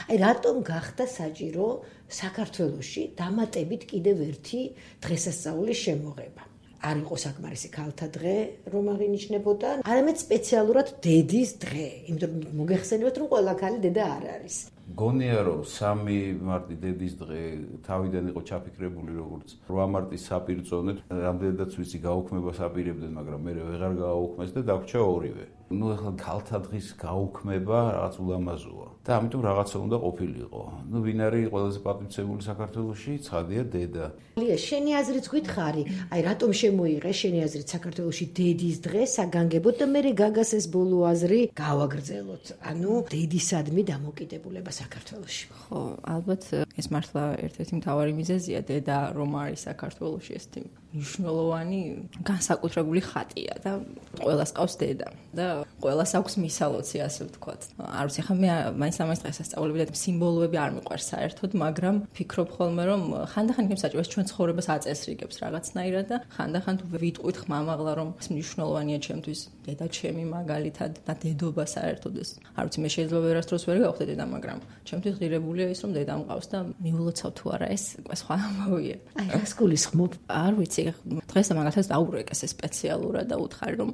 აი რატომ გახდა საჭირო საქართველოში დამატებით კიდევ ერთი დღესასწაულის შემოღება? არ იყო საკმარისი ქალთა დღე, რომ აღინიშნებოდა, არამედ სპეციალურად დედის დღე, იმიტომ რომ მოგეხსენებათ, რომ ყველა ქალი დედა არ არის. გონია რომ 3 მარტი დედის დღე თავიდან იყო ჩაფიქრებული როგორც 8 მარტის საპირწონედ, რამდენადაც ვიცი გაუქმებას აპირებდნენ, მაგრამ მე ვეღარ გააუქმეს და დაგვრჩა ორივე. ნუ ახლა ქალთა დღის გაუქმება რაღაც ულამაზოა და ამიტომ რაღაცა უნდა ყოფილიყო. ნუ ვინ არის ყველაზე პატივცემული საქართველოში? ცხადია დედა. ლია, შენი აზრიც გითხარი, აი რატომ შემოიღე შენი აზრით საქართველოში დედის დღე საგანგებოდ და მე გაგას ეს ბოლო აზრი გავაგრძელოთ. ანუ დედისადმი დამოკიდებულება საქართველოში. ხო, ალბათ ეს მართლა ერთ-ერთი მთავარი მიზეზია დედა რომ არის საქართველოში ეს მნიშვნელოვანი განსაკუთრებული ხატია და ყველას ყავს დედა და ყველას აქვს მისალოცი, ასე ვთქვათ. არ ვიცი, ხა მე მაინც დღესასწაულები და სიმბოლოები არ მიყვარს საერთოდ, მაგრამ ფიქრობ ხოლმე რომ ხანდახან იქნებ საჭიროა ჩვენ ცხოვრებას აწესრიგებს რაღაცნაირად და ხანდახან თუ ვიტყვით ხმამაღლა რომ ეს მნიშვნელოვანია ჩემთვის დედა ჩემი მაგალითად და დედობა საერთოდ ეს. არ ვიცი, მე შეიძლება ვერასდროს ვერ გავხდე დედა, მაგრამ ჩემთვის ღირებულია ის რომ დედა მყავს და მიულოცავ თუ არა ეს სხვა ამბავია. აი რას გულისხმობ? არ ვიცი, დღეს მაგალითად დაურეკეს სპეციალურად და უთხარი რომ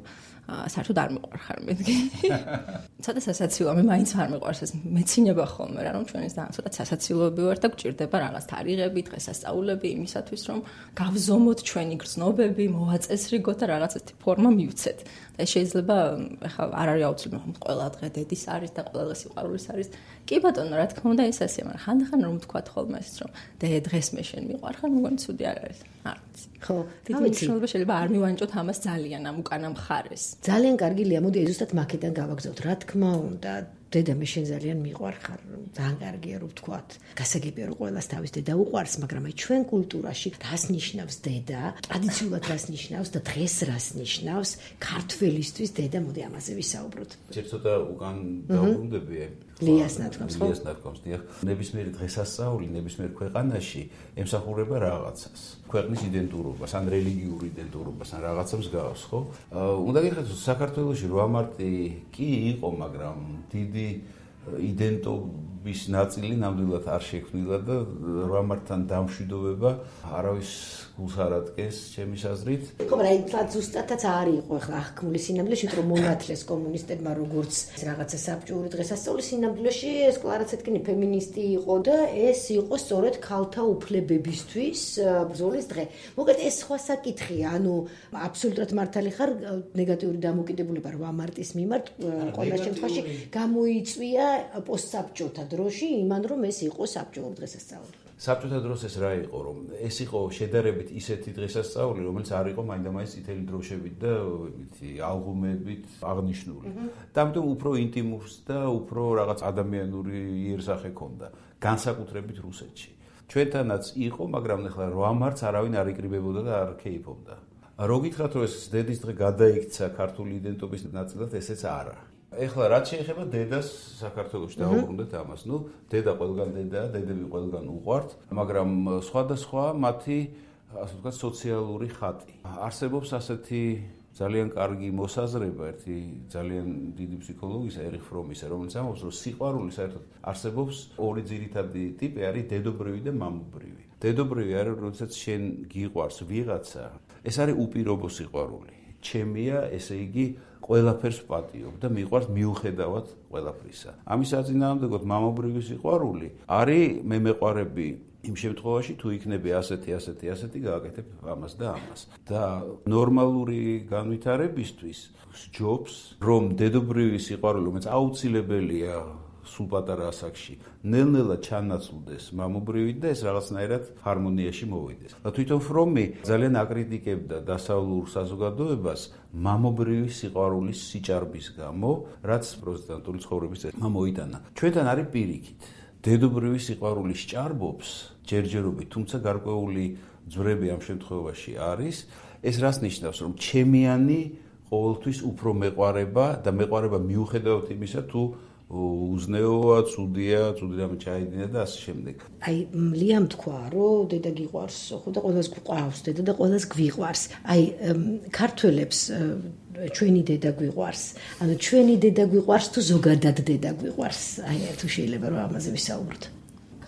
საერთოდ არ მიყვარხარ მეთქი. ცოტა სასაცილოა, მე მაინც არ მიყვარს ეს მეცინება ხოლმე რა, რომ ჩვენს და ცოტა სასაცილოები ვარ და გვჭირდება რაღაც თარიღები, დღესასწაულები იმისათვის რომ გავზომოთ ჩვენი გრძნობები, მოვაწესრიგოთ და რაღაც ესეთი ფორმა მივცეთ. და შეიძლება ახლა არ არის აუცილებელი ყველა დღე დედის არის და ყველა დღე სიყვარულის არის. კი ბატონო, რა თქმა უნდა ეს ასე, მაგრამ ხანდახან რომ ვთქვათ ხოლმე ეს რომ დღეს მე შენ მიყვარხარ, მგონი ცუდი არ არის. არ ვიცი. ხო, დიდი მნიშვნელობა შეიძლება არ მივანჭოთ ამას ძალიან ამ უკანა მხარეს. ძალიან კარგი ლია, მოდი ზუსტად მაქედან გავაგზავნოთ. რა თქმა უნდა, დედა მე შენ ძალიან მიყვარხარ, ძალიან კარგია რომ ვთქვათ. გასაგებია რომ ყველას თავის დედა უყვარს, მაგრამ აი ჩვენ კულტურაში რას ნიშნავს დედა? ტრადიციულად რას ნიშნავს და დღეს რას ნიშნავს ქართველისთვის დედა? მოდი ამაზე ვისაუბროთ. ცოტა უკან დავბრუნდები. ლიას ნათქვამს, ხო? ლიას ნათქვამს, დიახ. ნებისმიერი დღესასწაული ნებისმიერ ქვეყანაში ემსახურება რაღაცას. ქვეყნის იდენტურობას, ან რელიგიურ იდენტურობას, ან რაღაცა მსგავს, ხო? უნდა გიხადოთ, საქართველოში 8 მარტი კი იყო, მაგრამ დიდი იდენტობის ნაწილი ნამდვილად არ შექმნილა და 8 მარტთან დამშვიდობება არავის გულს არ ადგენს ჩემის აზრით. ხო, მაგრამ ზუსტადაც არ იყო ახლა აღქმული სინამდვილეში, რომ მონათლეს კომუნისტებმა როგორც რაღაცა საბჭოური დღესასწაული სინამდვილეში ეს კლარაცეტკინი ფემინისტი იყო და ეს იყო სწორედ ქალთა უფლებებისთვის ბრძოლის დღე. მოგეთ ეს სხვა საკითხია, ანუ აბსოლუტურად მართალი ხარ, ნეგატიური დამოკიდებულება 8 მარტის მიმართ ყველა შემთხვევაში გამოიწვია პოსტსაბჭოთა დროში იმან რომ ეს იყო საბჭოური დღესასწაული. საბჭოთა დროს ეს რა იყო, რომ ეს იყო შედარებით ისეთი დღესასწაული, რომელიც არ იყო მაინდა-მაინც წითელი დროშებით და ალბომებით აღნიშნული. და ამიტომ უფრო ინტიმურს და უფრო რაღაც ადამიანური იერსახე ჰქონდა, განსაკუთრებით რუსეთში. ჩვენთანაც იყო, მაგრამ ახლა 8 მარტს არავინ არ იკრიბებოდა და არ ქეიფობდა. რო გითხრათ, რომ ეს დედის დღე გადაიქცა ქართული იდენტობის ნაწილად, ესეც არა. ეხლა რაც შეეხება დედას საქართველოში დავუბრუნდეთ ამას. ნუ დედა ყველგან დედაა, დედები ყველგან უყვართ, მაგრამ სხვადასხვა მათი ასე ვთქვათ სოციალური ხატი. არსებობს ასეთი ძალიან კარგი მოსაზრება, ერთი ძალიან დიდი ფსიქოლოგისა ერიხ ფრომისა, რომელიც ამბობს, რომ სიყვარული საერთოდ არსებობს ორი ძირითადი ტიპი, არის დედობრივი და მამობრივი. დედობრივი არის, როდესაც შენ გიყვარს ვიღაცა, ეს არის უპირობო სიყვარული. ჩემია, ესე იგი ყველაფერს ვპატიობ და მიყვარს მიუხედავად ყველაფრისა. ამის აწინააღმდეგოდ მამობრივი სიყვარული არის მე მეყვარები იმ შემთხვევაში თუ იქნები ასეთი გააკეთებ ამას და ამას. და ნორმალური განვითარებისთვის სჯობს რომ დედობრივი სიყვარული, რომელიც აუცილებელია სულ პატარა ასაკში, ნელ-ნელა ჩანაცვლდეს მამობრივით და ეს რაღაცნაირად ჰარმონიაში მოვიდეს. და თვითონ ფრომი ძალიან აკრიტიკებდა დასავლურ საზოგადოებას მამობრივი სიყვარულის სიჭარბის გამო, რაც პროტესტანტული ცხოვრების წესმა მოიტანა. ჩვენთან არის პირიქით. დედობრივი სიყვარული სჭარბობს ჯერჯერობით, თუმცა გარკვეული ძვრები ამ შემთხვევაში არის. ეს რას ნიშნავს, რომ ჩემიანი ყოველთვის უფრო მეყვარება და მეყვარება მიუხედავად იმისა, თუ უზნეოა, ცუდია, ცუდიდან ჩაიდინა და ასე შემდეგ. აი, მლიამ თქვა, რომ დედა გიყვარს, ხო და ყველას გვყავს დედა და ყველას გვიყვარს. აი, ქართველებს ჩვენი დედა გვიყვარს. ანუ ჩვენი დედა გვიყვარს თუ ზოგადად დედა გვიყვარს. აი, თუ შეიძლება რომ ამაზე ვისაუბროთ.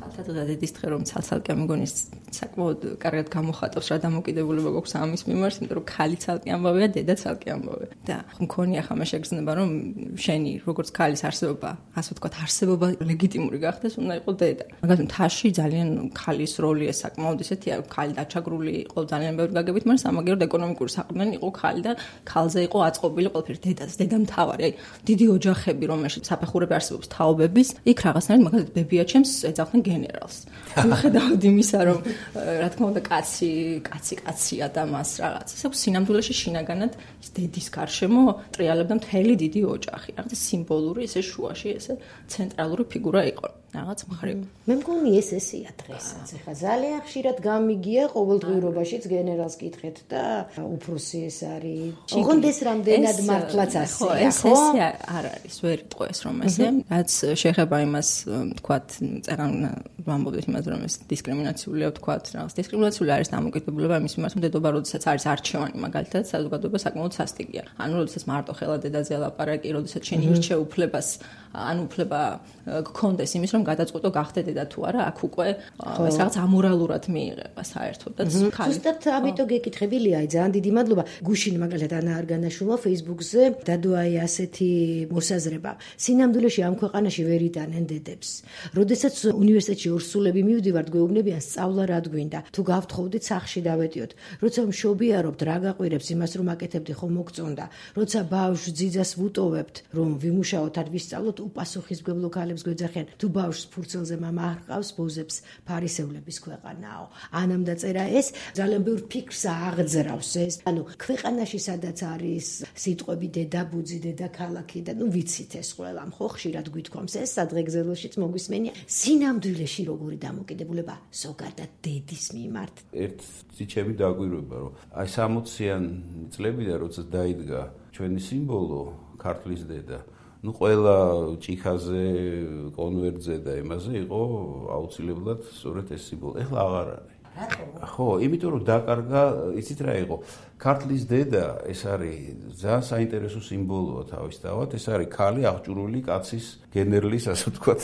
ქალთა და დედის დღე რომ ცალ-ცალკე მეგონი საკმაოდ კარგად გამოხატავს რა დამოკიდებულება გვაქვს ამის მიმართ, იმიტომ რომ ქალი ცალკე ამბავია, დედა ცალკე ამბავია. და მქონია ხამა შეგრძნება რომ შენი როგორც ქალის არსებობა, ასე ვთქვათ, არსებობა ლეგიტიმური გახდეს, უნდა იყოს დედა. მაგალითად, მთაში ძალიან ქალის როლი ეს საკმაოდ ისეთია, ქალი დაჩაგრული იყო ძალიან ბევრი გაგებით, მაგრამ სამაგიეროდ ეკონომიკური საყრდენი იყო ქალი და ქალზე იყო აწყობილი ყველაფერი დედა მთავარი. აი, დიდი ოჯახები, რომელშიც საფეხურები არსებობს თაობების, იქ რაღაცნაირად მაგალითად ბებიაჩემს ეძახდნენ გენერალს. მიუხედავად იმისა, რომ რა თქმა უნდა კაცია და მას რაღაც. ეს აქვს სინამდვილეში შინაგანად დედის გარშემო ტრიალებდა მთელი დიდი ოჯახი. რაღაც სიმბოლური ესე შუაში ესე ცენტრალური ფიგურა იყო. რაღაც მხრივ. მე მგონი ესეა დღესაც. ეხლა ძალიან ხშირად გამიგია ყოველდღიურობაშიც გენერალს კითხეთ და უფროსი ეს არის. ოღონდ ეს რამდენად მართლაც ასეა, ხო? ეს არ არის, ვერ იტყო ეს რომ ესე. რაც შეეხება იმას, თქვათ, წერან ვამბობთ იმას, რომ ეს დისკრიმინაციულია, თქვათ, რაღაც დისკრიმინაციული არის დამოკიდებულება იმის მიმართ, რომ დედობა როდესაც არის არჩევანი, მაგალითად, საზოგადოება საკმაოდ სასტიკია. ანუ როდესაც მარტო ხელა დედაზე ლაპარაკი, როდესაც შენ ირჩევ უფლებას, ან უფლება გქონდეს იმის, რომ გადაწყვეტო გახდე დედა თუ არა, აქ უკვე ეს რაღაც ამორალურად მიიღება საერთოდ და ხალი. ზუსტად ამიტომ გეკითხებილია, აი ძალიან დიდი მადლობა. გუშინ მაგალითად ანა არგანაშვილმა Facebook-ზე დადო აი ასეთი მოსაზრება. სინამდვილეში ამ ქვეყანაში ვერ იტანენ დედებს. როდესაც უნივერსიტეტში ორსულები მივდივართ, გვეუბნებიან სწავლა რად გვინდა. თუ გავთხოვდით სახში დავეტიოთ. როცა მშობიარობთ, რა გაყვირებს იმას რომ აკეთებდი ხომ მოგწონდა. როცა ბავშვს ძიძას ვუტოვებთ, რომ ვიმუშაოთ არ ვისწავლოთ, უპასუხისმგებლო ქალებს გვეძახიან. თუ ბავშვს ფურცელზე მამა არ ყავს, ბოზებს ფარისევლების ქვეყანაო. ანამ დაწერა ეს ძალიან ბევრ ფიქრს აღძრავს ეს. ანუ ქვეყანაში სადაც არის სიტყვები დედაბუძი, დედაქალაქი და ნუ ვიცით ეს ყველამ ხო ხშირად გვითქვამს ეს სადღეგრძელოშიც მოგვისმენია. სინამდვილეში როგორი დამოკიდებულება ზოგადად დედის მიმართ. ერთ ციჩები დაგვირვება რომ აი 60-იან წლებიდან როცა დაიდგა ჩვენი სიმბოლო ქართლის დედა ну ყველა ჭიქაზე, კონვერტზე და იმაზე იყო აუცილებლად სწორედ ეს სიმბოლო. ეხლა აღარ არის. ხო, იმიტომ რომ დაკარგა, იცით რა იყო? ქართლის დედა ეს არის ძალიან საინტერესო სიმბოლოა თავისთავად, ეს არის ქალი აღჭურვილი კაცის გენერლის, ასე ვთქვათ,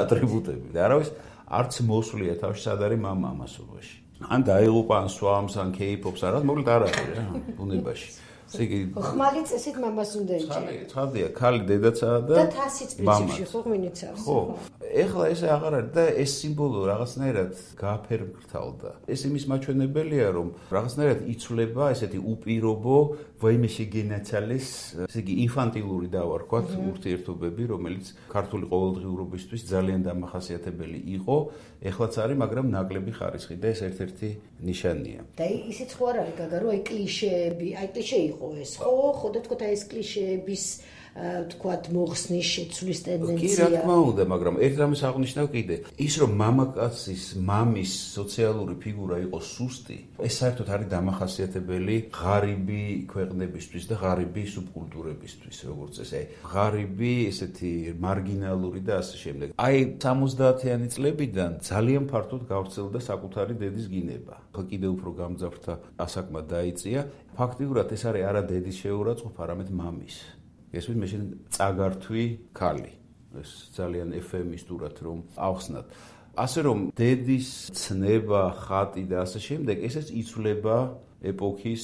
ატრიბუტები. და არავის არც მოსვლია თავში სად არის მამა ამასობაში. ან დაიღუპა, ან სვამს, ან კეიფობს, არა, მოკლედ არ არის რა, ბუნებაში. ხმალი წესით მამას უნდა ეჭერა. ცხადია, ქალი დედაცაა და თასიც პრინციპში ხო ღვინიცავს. ხო. ეხლა ესე აღარ არის და ეს სიმბოლო რაღაცნაირად გააფერმკრთალდა. ეს იმის მაჩვენებელია, რომ რაღაცნაირად იცვლება ესეთი უპირობო, ვაიმე შეგენაცალეს, ესე იგი ინფანტილური დავარქვათ ურთიერთობები, რომელიც ქართული ყოველდღიურობისთვის ძალიან დამახასიათებელი იყო, ეხლაც არის, მაგრამ ნაკლები ხარისხი და ეს ერთ-ერთი ნიშანია. და ისიც ხო არ არის გაგა, რომ აი კლიშეები, აი კლიშე იყო ეს, ხო და თქვა ეს კლიშეების თქვათ მოხსნის შეცვლის ტენდენცია. კი, რა თქმა უნდა, მაგრამ ერთ რამეს აღნიშნავ კიდე, ის რომ მამაკაცის, მამის სოციალური ფიგურა იყო სუსტი, ეს საერთოდ არის დამახასიათებელი ღარიბი ქვეყნებისთვის და ღარიბი სუბკულტურებისთვის, როგორც ესე, ღარიბი, ესეთი მარგინალური და ასე შემდეგ. აი 70-იანი წლებიდან ძალიან ფართოდ გავრცელდა საკუთარი დედის გინება. ხო, კიდევ უფრო გამძაფრდა ასაკმა დაიწია. ფაქტიურად ეს არის არა დედის შეურაცხყოფა, არამედ მამის. ესვით მე შენ წაგართვი ქალი. ეს ძალიან ეფემისტურად რომ ავხსნათ. ასე რომ დედის ცნება, ხატი და ასე შემდეგ, ესეც იცვლება ეპოქის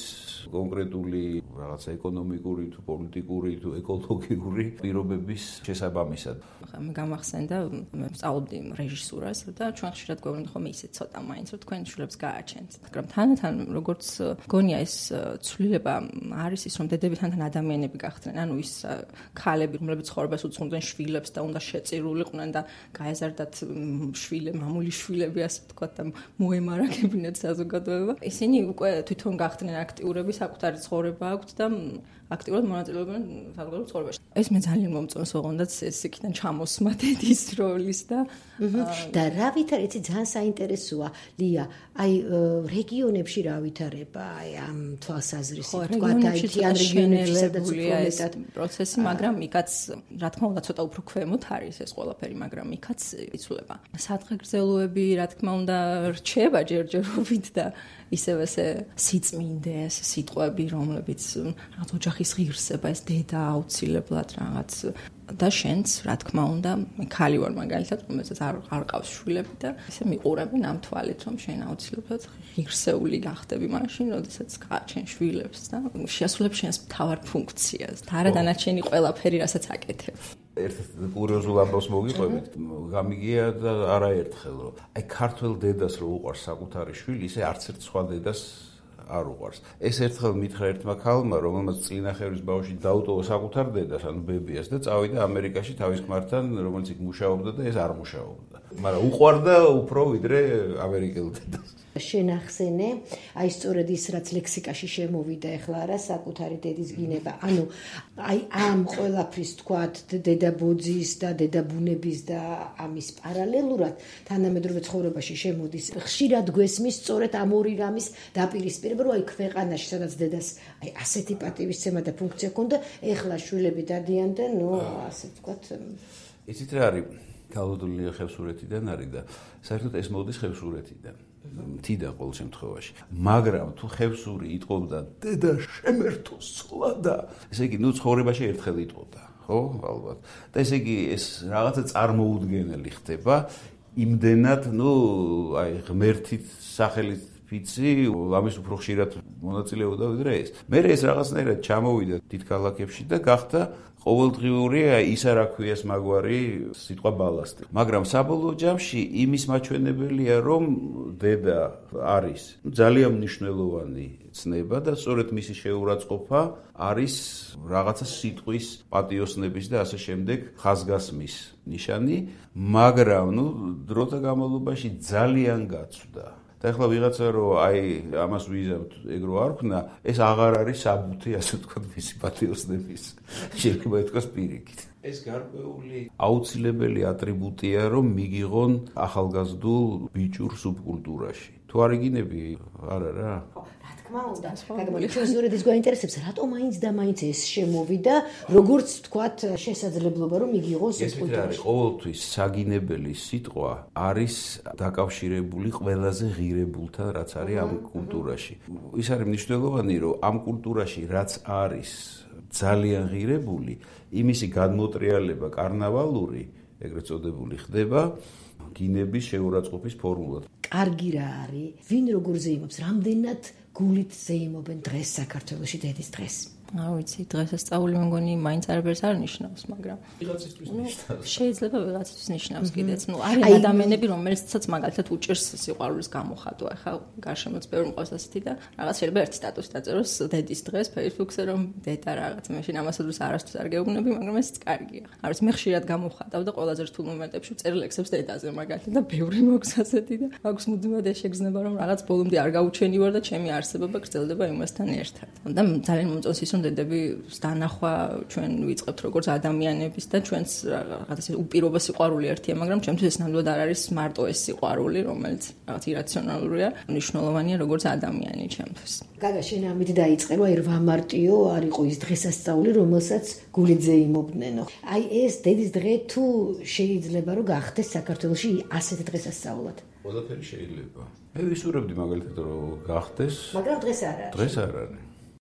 კონკრეტული რაღაცა ეკონომიკური თუ პოლიტიკური თუ ეკოლოგიური პირობების შესაბამისად. მე გამახსენდა, მე ვსწავლობდი რეჟისურას და ჩვენ ხშირად გვეუბნებიან ხომ ისე ცოტა მაინც რომ თქვენ შვილებს გააჩენთ. მაგრამ თანდათან როგორც გონია ეს ცვლილება არის ის რომ დედები თანდათან ადამიანები გახდნენ. ანუ ის ქალები, რომლებიც ცხოვრებას უძღვნდნენ შვილებს და უნდა შეწირულიყვნენ და გაეზარდათ მამული შვილები ასე ვთქვათ და მოემარაგებინათ საზოგადოება. ისინი უკვე თვითონ ჩვენ გახდნენ აქტიურები, საკუთარი ცხოვრება აქვთ და აქტიურად მონაწილეობენ საზოგადოებრივ ცხოვრებაში. ეს მე ძალიან მომწონს, ოღონდაც ეს იქიდან ჩამოსმა დედის როლის და რა ვითარებთ, ძალიან საინტერესოა, ლია, აი რეგიონებში რა ვითარება, აი ამ თვალსაზრისით, თქვა დაითიან რეგიონებში, სადაც უფრო მეტად პროცესი, მაგრამ იქაც რა თქმა უნდა ცოტა უფრო ქვემოთ არის ეს ყველაფერი, მაგრამ იქაც იცვლება. სადღეგრძელოები, რა თქმა უნდა, რჩება ჯერჯერობით და ისევ ესე სიწმინდეს სიტყვები, რომლებიც რაღაც ოჯახის ღირსება, ეს დედა აუცილებლად რაღაც და შენც, რა თქმა უნდა, მე ქალი ვარ მაგალითად, რომელსაც არ ყავს შვილები და ესე მიყურებენ ამ თვალით, რომ შენ აუცილებლად ღირსეული გახდები მაშინ, როდესაც გააჩენ შვილებს და შეასრულებ შენს მთავარ ფუნქციას და არა დანარჩენი ყველაფერი, რასაც აკეთებ. ერთ კურიოზულ ამბავს მოგიყვებით, გამიგია და არაერთხელ, რომ აი ქართველ დედას რო უყვარს საკუთარი შვილი, ისე არც ერთ სხვა დედას არ უყვარს. ეს ერთხელ მითხრა ერთმა ქალმა, რომელმაც წინახევრის ბავშვი დაუტოვა საკუთარ დედას, ანუ ბებიას და წავიდა ამერიკაში თავის ქმართან, რომელიც იქ მუშაობდა და ეს არ მუშაობდა. მაგრამ უყვარდა უფრო ვიდრე ამერიკელ დედას. შენახსენე, აი სწორედ ის რაც ლექსიკაში შემოვიდა ახლა რა საკუთარი დედის გინება. ანუ აი ამ ყველაფრის თქვათ დედაბოძის და დედაბუნების და ამის პარალელურად თანამედროვე ცხოვრებაში შემოდის. ხშირად გვესმის სწორედ ამ ორი რამის დაპირისპირება, რომ აი ქვეყანაში სადაც დედას აი ასეთი პატივისცემა და ფუნქცია ჰქონდა, ეხლა შვილები დადიან და ნუ ასე თქვათ. იცით რა არის? ქალბატონი ხევსურეთიდან არის და საერთოდ ეს მოდის ხევსურეთიდან. მთიდან ყოველ შემთხვევაში. მაგრამ თუ ხევსური იტყობდა დედა შემერთო სლადა, ესე იგი ნუ ცხოვრებაში ერთხელ იტყოდა, ხო? ალბათ. და ესე იგი ეს რაღაცა წარმოუდგენელი ხდება, იმდენად, ნუ აი ღმერთით სახელით ფიცი, ამის უფრო ხშირად მონაწილეობდა ვიდრე ეს. მე ეს რაღაცნაირად ჩამოვიდა დიდ ქალაქებში და გახდა ყოველდღიური ის არ აქვიას მაგვარი სიტყვა ბალასტი. მაგრამ საბოლოო ჯამში იმის მაჩვენებელია, რომ დედა არის ძალიან მნიშვნელოვანი ცნება და სწორედ მისი შეურაცხყოფა არის რაღაცა სიტყვის პატიოსნების და ასე შემდეგ ხაზგასმის ნიშანი, მაგრამ ნუ დროთა განმავლობაში ძალიან გაცვდა. და ახლა ვიღაცა რომ აი ამას ვიზამთ ეგრო არ ქნა, ეს აღარ არის საბუთი, ასე ვთქვათ, მისი პატიოსნების. შეიძლება ითქვას პირიქით. ეს გარკვეული აუცილებელი ატრიბუტია, რომ მიგიღონ ახალგაზრდულ ბიჭურ სუბკულტურაში. თუ არ იგინები, არა რა. მაუნდა, გაგმოდი ჩვენ ზურით ის გვაინტერესებს, რატომ მაინც და მაინც ეს შემოვიდა, როგორც თქვათ შესაძლებლობა რომ იგიღოს სუბკულტურაში. ყოველთვის საგინებელი სიტყვა არის დაკავშირებული ყველაზე ღირებულთან, რაც არის ამ კულტურაში. ის არის მნიშვნელოვანი, რომ ამ კულტურაში რაც არის ძალიან ღირებული, იმისი გადმოტრიალება კარნავალური, ეგრეთ წოდებული ხდება გინების შეურაცხყოფის ფორმულად. კარგი რა არის, ვინ როგორ ზეიმობს, რამდენად გულით ზეიმობენ დღეს საქართველოში დედის დღეს. არ ვიცი, დღესასწაული მგონი მაინც არაფერს არ ნიშნავს, მაგრამ ვიღაცისთვის ნიშნავს. შეიძლება ვიღაცისთვის ნიშნავს კიდეც. ნუ არის ადამიანები, რომელსაც მაგალითად უჭირს სიყვარულის გამოხატვა. ახლა გარშემოც ბევრი მყავს ასეთი და რაღაც შეიძლება ერთი სტატუსი დაწეროს დედის დღეს Facebook-ზე, რომ დედა რაღაც მაშინ ამასადროს არასდროს არ გეუბნები, მაგრამ ესეც კარგია. არ ვიცი, მე ხშირად გამოვხატავ და ყველაზე რთულ მომენტებში ვწერე ლექსებს დედაზე მაგალითად და ბევრი მოქვს ასეთი და მაქვს მუდმივად ეს შეგრძნება, რომ რაღაც ბოლომდე არ გაუჩენივარ და ჩემი არსებობა გრძელდება იმასთან ერთად. და ძალიან მომწონს ის დედები დანახვა ჩვენ ვიწყებთ როგორც ადამიანების და ჩვენს რაღაცა უპირობო სიყვარული ერთია, მაგრამ ჩემთვის ეს ნამდვილად არ არის მარტო ეს სიყვარული, რომელიც რაღაც ირაციონალურია, მნიშვნელოვანია როგორც ადამიანი ჩემთვის. გაგა, შენ ამით დაიწყე, რომ აი 8 მარტიო არ იყო ის დღესასწაული, რომელსაც გულით ზეიმობდნენო. აი ეს დედის დღე თუ შეიძლება რომ გახდეს საქართველოში ასეთი დღესასწაულად? ყველაფერი შეიძლება. მე ვისურვებდი მაგალითად რომ გახდეს, მაგრამ დღეს არ არის. დღეს არ არის.